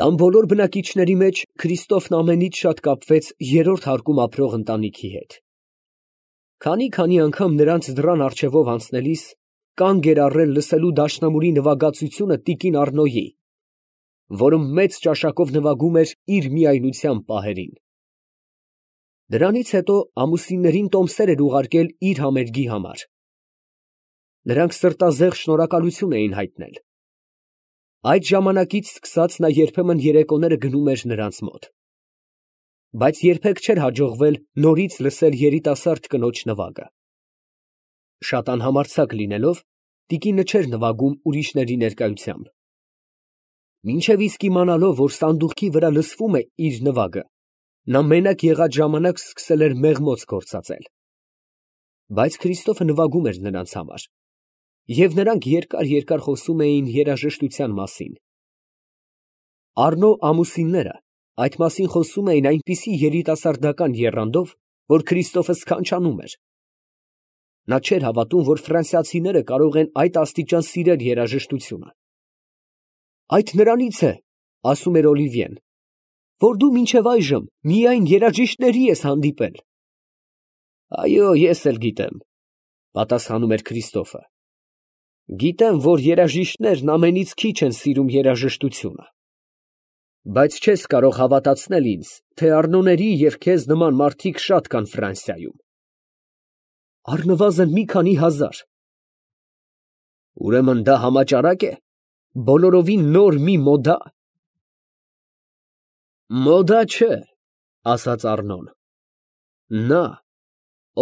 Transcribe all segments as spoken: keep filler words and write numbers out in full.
Տան բոլոր բնակիչների մեջ Քրիստոֆն ամենից շատ կապվեց երրորդ հարկում ապրող ընտանիքի հետ. քանի֊քանի անգամ նրանց դռան առջևով անցնելիս կանգ էր առել լսելու դաշնամուրի նվագածությունը տիկին Առնոյի, որը մեծ ճաշակով նվագում էր իր միայնության պահերին։ Դրանից հետո ամուսիններին տոմսեր էր ուղարկել իր համերգի համար. նրանք սրտազեղ շնորհակալություն էին հայտնել։ Այդ ժամանակից սկսած նա երբեմն երեկոները գնում էր նրանց մոտ, բայց երբեք չէր հաջողվել նորից լսել երիտասարդ կնոջ նվագը։ Շատ անհամարձակ լինելով, տիկինը չէր նվագում ուրիշների ներկայությամբ։ Մինչև իսկ իմանալով, որ սանդուղքի վրա լսվում է իր նվագը, նա մենակ եղած ժամանակ սկսել էր մեղմոց գործածել։ Բայց Քրիստոֆը նվագում էր նրանց համար, և նրանք երկար֊երկար խոսում էին երաժշտության մասին։ Առնո ամուսինները այդ մասին խոսում էին այնպիսի երիտասարդական եռանդով, որ Քրիստոֆը սքանչանում էր։ Նա չէր հավատում, որ ֆրանսիացիները կարող են այդ աստիճան սիրել երաժշտությունը։ «Այդ նրանից է, ֊ ասում էր Օլիվիեն, ֊ որ դու մինչև այժմ միայն երաժիշտների ես հանդիպել»։ «Այո, ես էլ գիտեմ, ֊ պատասխանում էր Քրիստոֆը, ֊ գիտեմ, որ երաժիշտներն ամենից քիչ են սիրում երաժշտությունը, բայց չես կարող հավատացնել ինձ, թե Առնոների և քեզ նման մարդիկ շատ կան Ֆրանսիայում»։ «Առնվազն մի քանի հազար»։ «Ուրեմն դա համաճարակ է, բոլորովին նոր մի մոդա»։ «Մոդա չէ, ֊ ասաց Առնոն, ֊ նա,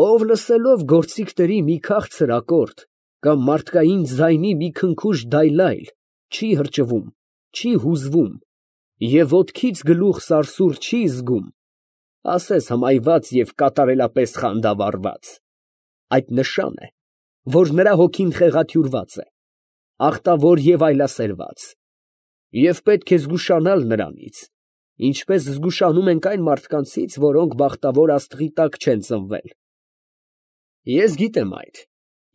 ով լսելով գործիքների մի քաղցր ակորդ կամ մարդկային ձայնի մի քնքուշ դայլայլ, չի հրճվում, չի հուզվում և ոտքից գլուխ սարսուռ չի զգում, ասես հմայված և կատարելապես խանդավառված, այդ նշան է, որ նրա հոգին խեղաթյուրված է, ախտավոր և այլասերված, և պետք է զգուշանալ նրանից, ինչպես զգուշանում ենք այն մարդկանցից, որոնք բախտավոր աստղի տակ չեն ծնվել։ Ես գիտեմ այդ,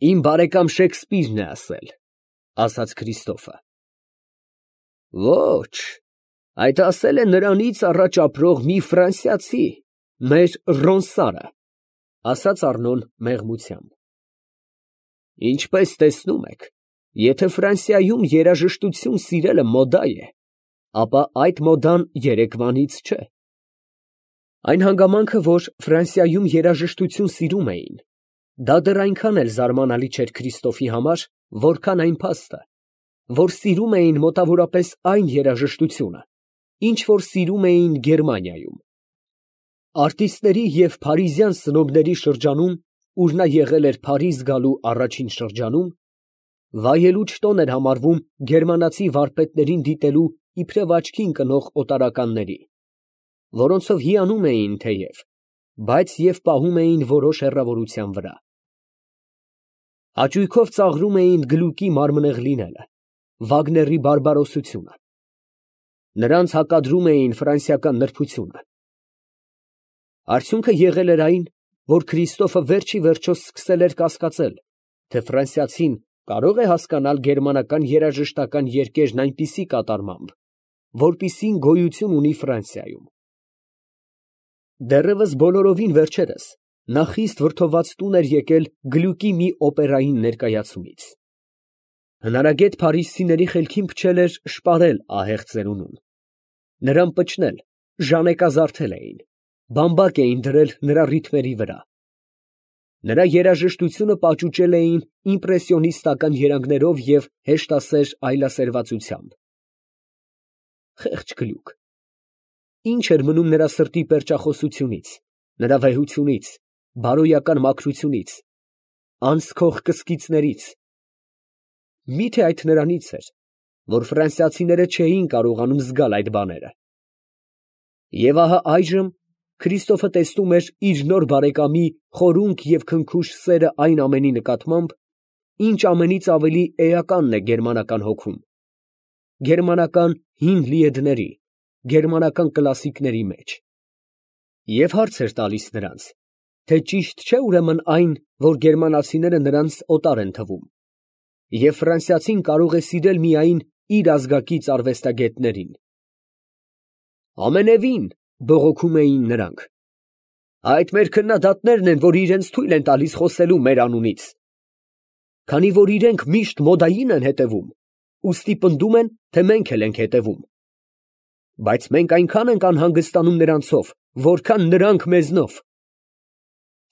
իմ բարեկամ Շեքսպիրն է ասել, ֊ ասաց Քրիստոֆը։ Ոչ, այդ ասել է նրանից առաջ ապրող մի ֆրանսիացի, մեր Ռոնսարը, ֊ ասաց Առնոն մեղմությամբ։ Ինչպես տեսնում եք, եթե Ֆրանսիայում երաժշտություն սիրելը մոդա է, ապա այդ մոդան երեկվանից չէ։ Այն հանգամանքը, որ Ֆրանսիայում երաժշտություն սիրում էին, դա դեռ այնքան էլ զարմանալի չէր Քրիստոֆի համար, որքան այն փաստը, որ սիրում էին մոտավորապես այն երաժշտությունը, ինչ որ սիրում էին Գերմանիայում։ Արտիստների և փարիզյան սնոբների շրջանում, ուր նա եղել էր Փարիզ գալու առաջին շրջանում, վայելուչ տոն էր համարվում գերմանացի վարպետներին դիտելու իբրև աչքի ընկնող օտարականների, որոնցով հիանում էին թեև, բայց և պահում էին որոշ հեռավորության վրա։ Հաճույքով ծաղրում էին Գլուկի մարմնեղ լինելը, Վագների բարբարոսությունը։ Նրանց հակադրում էին ֆրանսիական նրբությունը։ Արդյունքը եղել էր այն, որ Քրիստոֆը վերջ ի վերջո սկսել էր կասկածել, թե ֆրանսիացին կարո՞ղ է հասկանալ գերմանական երաժշտական երգերն այնպիսի կատարմամբ, որպիսին գոյություն ունի Ֆրանսիայում։ Դեռևս բոլորովին վերջերս նա խիստ վրդոված տուն էր եկել Գլյուկի մի օպերային ներկայացումից։ Հնարագետ փարիզցիների խելքին փչել էր շպարել ահեղ ծերունուն, նրան պչնել, ժանեկազարդել էին, բամբակ էին դրել նրա ռիթմերի վրա։ Նրա երաժշտությունը պաճուճել էին իմպրեսիոնիստական երանգներով և հեշտասեր այլասերվածությամբ։ Խեղճ Գլյուկ, ի՞նչ էր մնում նրա սրտի պերճախոսությունից, նրա վեհությունից, բարոյական մաքրությունից, անսքող կսկիծներից։ Մի՞թե այդ նրանից էր, որ ֆրանսիացիները չէին կարողանում զգալ այդ բաները։ Եվ ահա այժմ Քրիստոֆը տեսնում էր իր նոր բարեկամի խորունկ և քնքուշ սերը այն ամենի նկատմամբ, ինչ ամենից ավելի էականն է գերմանական հոգում, գերմանական հին լիեդների, գերմանական կլասիկների մեջ։ Եվ հարց էր տալիս նրանց, թե ճիշտ չէ ուրեմն այն, որ գերմանացիները նրանց օտար են թվում, և ֆրանսիացին կարող է սիրել միայն իր ազգակից արվեստագետներին։ Ամենևին, բողոքում էին նրանք։ Այդ մեր քննադատներն են, որ իրենց թույլ են տալիս խոսելու մեր անունից։ Քանի որ իրենք միշտ մոդային են հետևում, ուստի պնդում են, թե մենք էլ ենք հետևում։ Բայց մենք այնքան ենք անհանգստանում նրանցով, որքան նրանք մեզնով։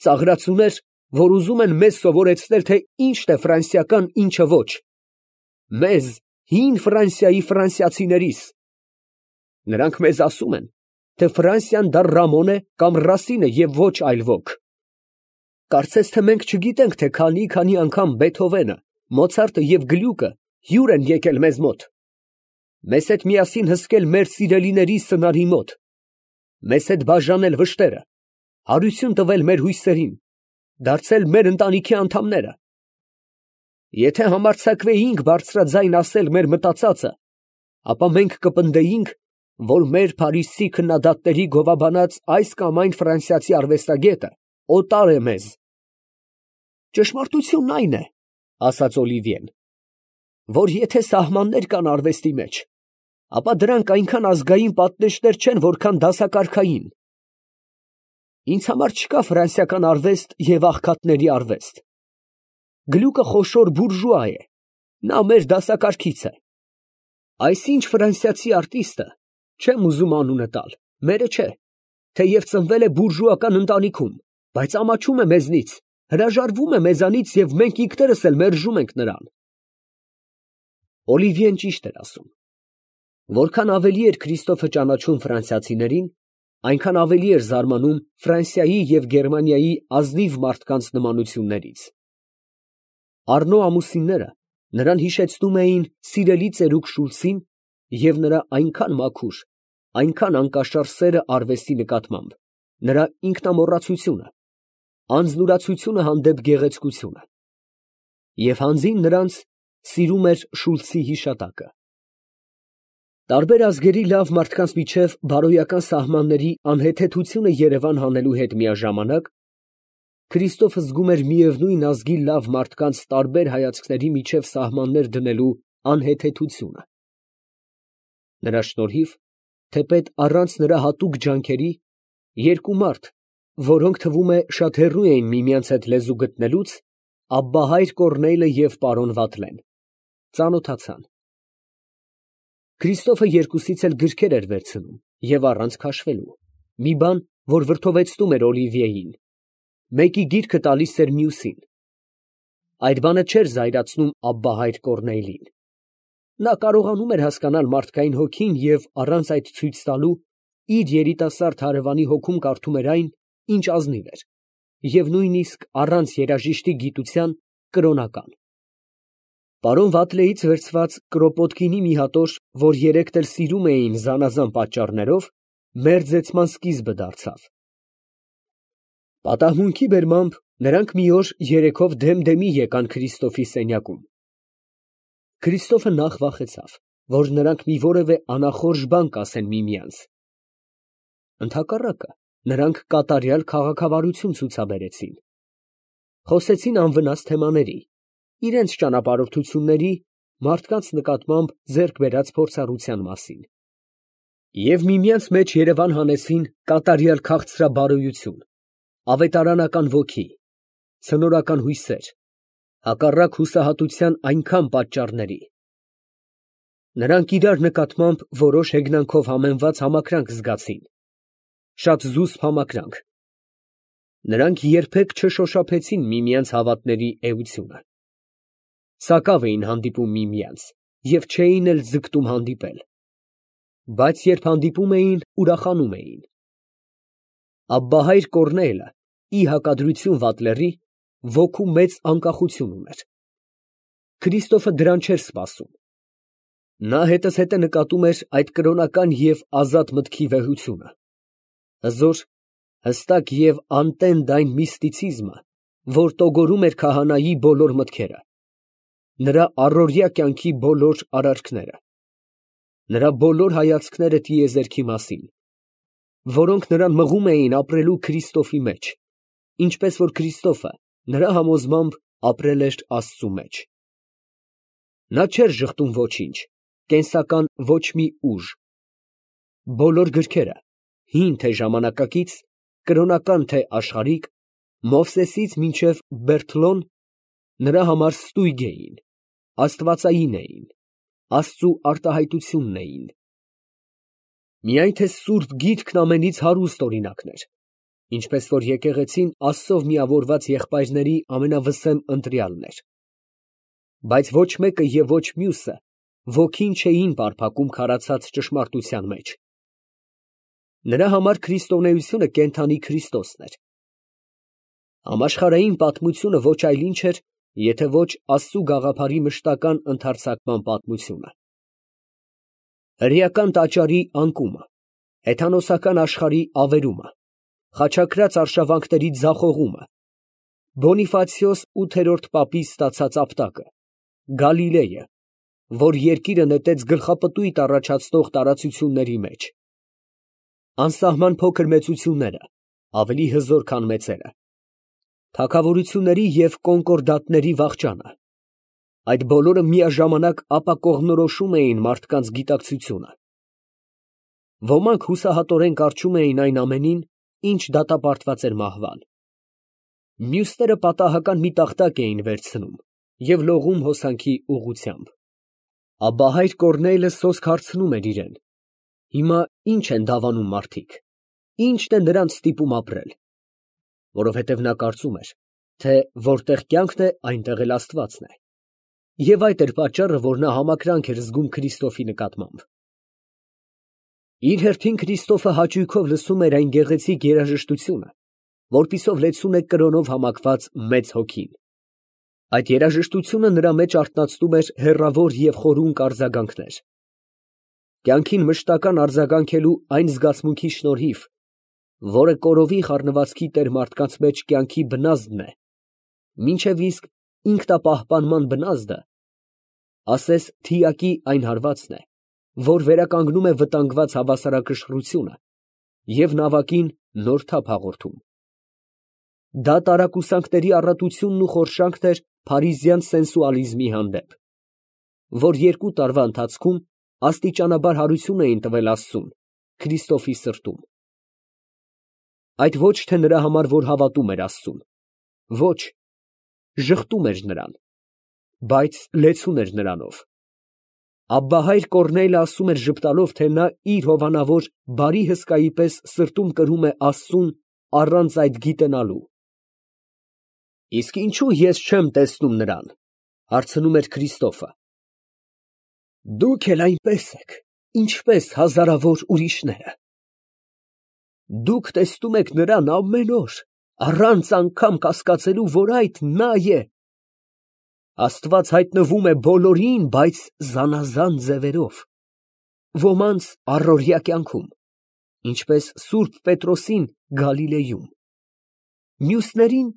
Ծաղրացուներ, որ ուզում են մեզ սովորեցնել, թե ինչն է ֆրանսիական, ինչը ոչ։ Մեզ, հին Ֆրանսիայի ֆրանսիացիներիս։ Նրանք մեզ ասում են, թե Ֆրանսիան դա Ռամոն է կամ Ռասին է և ոչ այլ ոք։ Կարծես թե մենք չգիտենք, թե քանի֊քանի անգամ Բեթհովենը, Մոցարտը և Գլյուկը հյուր են եկել մեզ մոտ, մեզ հետ միասին հսկել մեր սիրելիների սնարի մոտ, մեզ հետ բաժանել վշտերը, հարություն տվել մեր հույսերին, դարձել մեր ընտանիքի անդամները։ Եթե համարձակվեինք բարձրաձայն ասել մեր մտածածը, ապա մենք կպնդեինք, որ մեր Փարիզցի քննադատների գովաբանած այս կամ այն ֆրանսիացի արվեստագետը օտար է մեզ։ Ճշմարտությունն այն է, ասաց Օլիվիեն, որ եթե սահմաններ կան արվեստի մեջ, ապա դրանք այնքան ազգային պատնեշներ չեն, որքան դասակարգային։ Ինձ համար չկա ֆրանսիական արվեստ և աղքատների արվեստ։ Գլյուկը խոշոր բուրժուա է, նա մեր դասակարգից է։ Այսինչ ֆրանսիացի արտիստը, չեմ ուզում անունը տալ, մերը չէ, թեև ծնվել է բուրժուական ընտանիքում, բայց ամաչում է մեզնից, հրաժարվում է մեզանից և մենք ինքներս էլ մերժում ենք նրան։ Օլիվիեն ճիշտ էր ասում։ Որքան ավելի էր Քրիստոֆը ճանաչում ֆրանսիացիներին, այնքան ավելի էր զարմանում Ֆրանսիայի և Գերմանիայի ազնիվ մարդկանց նմանություններից։ Առնո ամուսինները նրան հիշեցնում էին սիրելի ծերուկ Շուլցին և նրա այնքան մաքուր, այնքան անկաշար սերը արվեստի նկատմամբ, նրա ինքնամոռացությունը, անձնուրացությունը հանդեպ գեղեցկությունը։ Եվ հանձին նրանց սիրում էր Շուլցի հիշատակը։ Տարբեր ազգերի լավ մարդկանց միջև բարոյական սահմանների անհեթեթությունը երևան հանելու հետ միաժամանակ, Քրիստոֆը զգում էր միևնույն ազգի լավ մարդկանց տարբեր հայացքների միջև սահմաններ դնելու անհեթեթությունը։ Նրա շնորհիվ, թեպետ առանց նրա հատուկ ջանքերի, երկու մարդ, որոնք թվում է շատ հեռու էին միմյանց հետ լեզու գտնելուց, Աբբահայր Կոռնեյլը և պարոն Վատլեն, ծանոթացան։ Քրիստոֆը երկուսից էլ գրքեր էր վերցնում և առանց քաշվելու, մի բան, որ վրդովեցնում էր Օլիվիեին, մեկի գիրքը տալիս էր մյուսին։ Այդ բանը չէր զայրացնում Աբբահայր Կոռնեյլին։ Նա կարողանում էր հասկանալ մարդկային հոգին և առանց այդ ցույց տալու իր երիտասարդ հարևանի հոգում կարդում էր այն, ինչ ազնիվ էր, և նույնիսկ առանց երաժիշտի գիտության կրոնական։ Պարոն Վատլեից վերցված Կրոպոտկինի մի հատոր, որ երեքն էլ սիրում էին զանազան պատճառներով, մերձեցման սկիզբը դարձավ։ Պատահմունքի բերմամբ նրանք մի օր երեքով դեմ֊դեմի եկան Քրիստոֆի սենյակում։ Քրիստոֆը նախ վախեցավ, որ նրանք մի որևէ անախորժ բան կասեն միմյանց։ Ընդհակառակը, նրանք կատարյալ քաղաքավարություն ցուցաբերեցին։ Խոսեցին անվնաս թեմաների, իրենց ճանապարհորդությունների, մարդկանց նկատմամբ ձեռք բերած փորձառության մասին։ Եվ միմյանց մեջ երևան հանեցին կատարյալ քաղցրաբարոյություն, ավետարանական ոգի, ցնորական հույսեր, հակառակ հուսահատության այնքան պատճառների։ Նրանք իրար նկատմամբ որոշ հեգնանքով համեմված համակրանք զգացին, շատ զուսպ համակրանք։ Նրանք երբեք չշոշափեցին միմյանց հավատների էությունը։ Սակավ էին հանդիպում միմյանց և չէին էլ ձգտում հանդիպել, բայց երբ հանդիպում էին, ուրախանում էին։ Աբբահայր Կոռնեյլը, ի հակադրություն Վատլերի, ոգու մեծ անկախություն ուներ։ Քրիստոֆը դրան չէր սպասում։ Նա հետզհետե նկատում էր այդ կրոնական և ազատ մտքի վեհությունը, հզոր, հստակ և անտենդ այն միստիցիզմը, որ տոգորում էր քահանայի բոլոր մտքերը, նրա առօրյա կյանքի բոլոր արարքները, նրա բոլոր հայացքները տիեզերքի մասին, որոնք նրան մղում էին ապրելու Քրիստոֆի մեջ, ինչպես որ Քրիստոֆը նրա համոզմամբ ապրել էր Աստծու մեջ։ Նա չէր ժխտում ոչինչ, կենսական ոչ մի ուժ, Բոլոր գրքերը, հին թե ժամանակակից, կրոնական թե աշխարհիկ, Մովսեսից մինչև Բերթլոն, նրա համար ստույգ էին, աստվածային էին, Աստծու արտահայտությունն էին։ Միայն թե սուրբ գիրքն ամենից հարուստ օրինակն էր, ինչպես որ եկեղեցին Աստծով միավորված եղբայրների ամենավսեմ ընտրյալն էր։ Բայց ոչ մեկը և ոչ մյուսը ոգին չէին պարփակում քարացած ճշմարտության մեջ։ Նրա համար քրիստոնեությունը կենդանի Քրիստոսն էր։ Համաշխարհային պատմությունը ոչ այլ ինչ էր, եթե ոչ Աստծու գաղափարի մշտական ընդարձակման պատմությունը։ Հրեական տաճարի անկումը, հեթանոսական աշխարհի ավերումը, խաչակրաց արշավանքների ձախողումը, Բոնիֆացիոս ութերորդ պապի ստացած ապտակը, Գալիլեյը, որ երկիրը նետեց գլխապտույտ առաջացնող տարածությունների մեջ, անսահման փոքր մեծությունները, ավելի հզոր, քան մեծերը, թագավորությունների և կոնկորդատների վախճանը, այդ բոլորը միաժամանակ ապակողմնորոշում էին մարդկանց գիտակցությունը։ Ոմանք հուսահատորեն կառչում էին այն ամենին, ինչ դատապարտված էր մահվան։ Մյուսները պատահական մի տախտակ էին վերցնում և լողում հոսանքի ուղղությամբ։ Աբբահայր Կոռնեյլը սոսկ հարցնում էր իրեն. հիմա ի՞նչ են դավանում մարդիկ, ի՞նչն է նրանց ստիպում ապրել, որովհետև նա կարծում էր, թե որտեղ կյանքն է, այնտեղ էլ Աստվածն է, և այդ էր պատճառը, որ նա համակրանք էր զգում Քրիստոսի նկատմամբ։ Իր հերթին Քրիստոֆը հաճույքով լսում էր այն գեղեցիկ երաժշտությունը, որպիսով լեցուն է կրոնով համակված մեծ հոգին։ Այդ երաժշտությունը նրա մեջ արթնացնում էր հեռավոր և խորունկ արձագանքներ։ Կյանքին մշտական արձագանքելու այն զգացմունքի շնորհիվ, որը կորովի խառնվածքի տեր մարդկանց մեջ կյանքի բնազդն է, մինչև իսկ ինքնապահպանման բնազդը, ասես թիակի այն հարվածն է, որ վերականգնում է վտանգված հավասարակշռությունը և նավակին նոր թափ հաղորդում։ Դա տարակուսանքների առատությունն ու խորշանքն էր փարիզյան սենսուալիզմի հանդեպ, որ երկու տարվա ընթացքում աստիճանաբար հարություն էին տվել Աստծուն, Քրիստոսի սրտում։ Այդ ոչ թե նրա համար, որ հավատում էր Աստծուն, ոչ, ժխտում էր նրան, բայց լեցուն էր նրանով։ Աբբահայր Կոռնեյլը ասում էր ժպտալով, թե նա իր հովանավոր բարի հսկայի պես սրտում կրում է Աստծուն առանց այդ գիտենալու։ Իսկ ինչո՞ւ ես չեմ տեսնում նրան, հարցնում էր Քրիստոֆը։ Դուք էլ այնպես եք, ինչպես հազարավոր ուրիշները։ Դուք տեսնում եք նրան ամեն օր, առանց անգամ կասկածելու, որ այդ նա է։ Աստված հայտնվում է բոլորին, բայց զանազան ձևերով, ոմանց առօրյա կյանքում, ինչպես սուրբ Պետրոսին Գալիլեյում, մյուսներին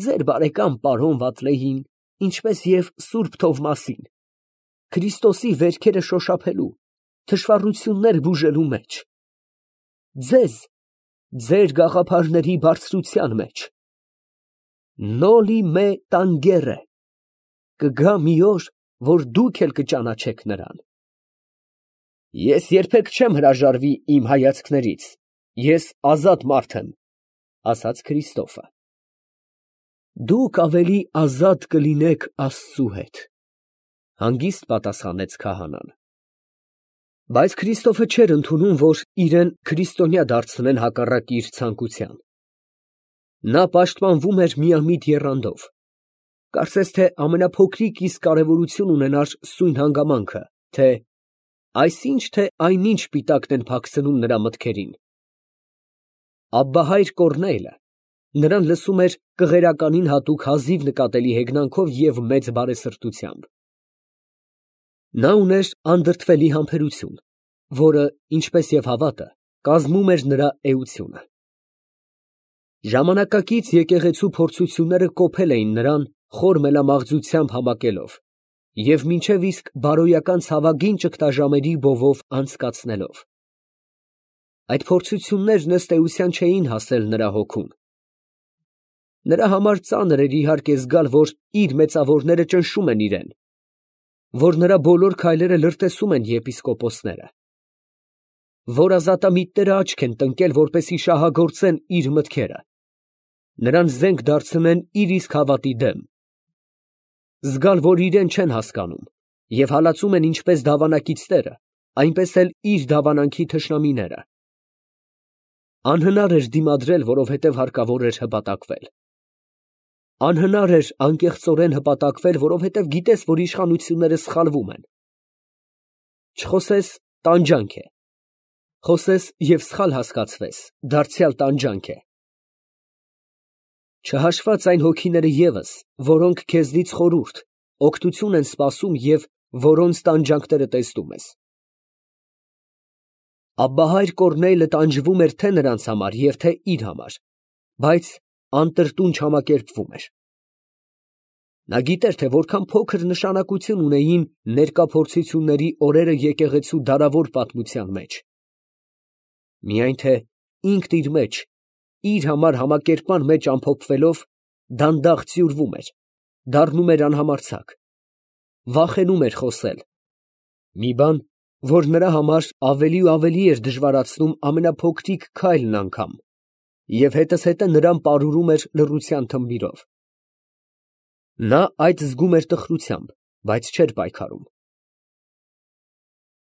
ձեր բարեկամ պարոն Վատլեին, ինչպես և սուրբ Թովմասին, Քրիստոսի վերքերը շոշափելու, թշվառություններ բուժելու մեջ, ձեզ ձեր գաղափարների բարձրության մեջ։ Նոլի մե տանգերը, կգա մի օր, որ դուք էլ կճանաչեք նրան։ Ես երբեք չեմ հրաժարվի իմ հայացքներից, ես ազատ մարդ եմ, ասաց Քրիստոֆը։ Դուք ավելի ազատ կլինեք Աստծու հետ, հանգիստ պատասխանեց քահանան։ Բայց Քրիստոֆը չէր ընդունում, որ իրեն քրիստոնյա դարձնեն հակառակ իր ցանկության։ Նա պաշտպանվում էր միամիտ եռանդով, կարծես թե ամենափոքրիկ իսկ կարևորություն ունենար սույն հանգամանքը, թե այսինչ թե այնինչ պիտակն են փակցնում նրա մտքերին։ Աբբահայր Կոռնեյլը նրան լսում էր կղերականին հատուկ հազիվ նկատելի հեգնանքով և մեծ բարեսրտությամբ։ Նա ուներ անդրդվելի համբերություն, որը, ինչպես և հավատը, կազմում էր նրա էությունը։ Ժամանակակից եկեղեցու փորձությունները կոփել էին նրան խոր մելամաղձությամբ համակելով և մինչև իսկ բարոյական ցավագին ճգնաժամերի բովով անցկացնելով։ Այդ փորձություններն ըստ էության չէին հասել նրա հոգուն։ Նրա համար ծանր էր իհարկե զգալ, որ իր մեծավորները ճնշում են իրեն, որ նրա բոլոր քայլերը լրտեսում են եպիսկոպոսները։ որ ազատամիտները աչք են տնկել, որպեսզի շահագործեն իր մտքերը, նրան զենք դարձնեն իր իսկ հավատի դեմ, զգալ, որ իրեն չեն հասկանում և հալածում են ինչպես դավանակիցները, այնպես էլ իր դավանանքի թշնամիները։ Անհնար էր դիմադրել, որովհետև հարկավոր էր հպատակվել։ Անհնար էր անկեղծորեն հպատակվել, որովհետև գիտես, որ իշխանությունները սխալվում են։ Չխոսես, տանջանք է, խոսես և սխալ հասկացվես, դարձյալ տանջանք է։ Չհաշված այն հոգիները ևս, որոնք քեզնից խորհուրդ, օգնություն են սպասում և որոնց տանջանքները տեսնում ես։ Աբբահայր Կոռնեյլը տանջվում էր թե նրանց համար և թե իր համար, բայց անտրտունջ համակերպվում էր։ Նա գիտեր, թե որքան փոքր նշանակություն ունեին ներկա փորձությունների օրերը եկեղեցու դարավոր պատմության մեջ։ Միայն թե ինքն իր մեջ, իր համար համակերպման մեջ ամփոփվելով, դանդաղ ծյուրվում էր, դառնում էր անհամարձակ, վախենում էր խոսել, մի բան, որ նրա համար ավելի ու ավելի էր դժվարացնում ամենափոքրիկ քայլն անգամ, և հետզհետե նրան պարուրում էր լռության թմբիրով։ Նա այդ զգում էր տխրությամբ, բայց չէր պայքարում։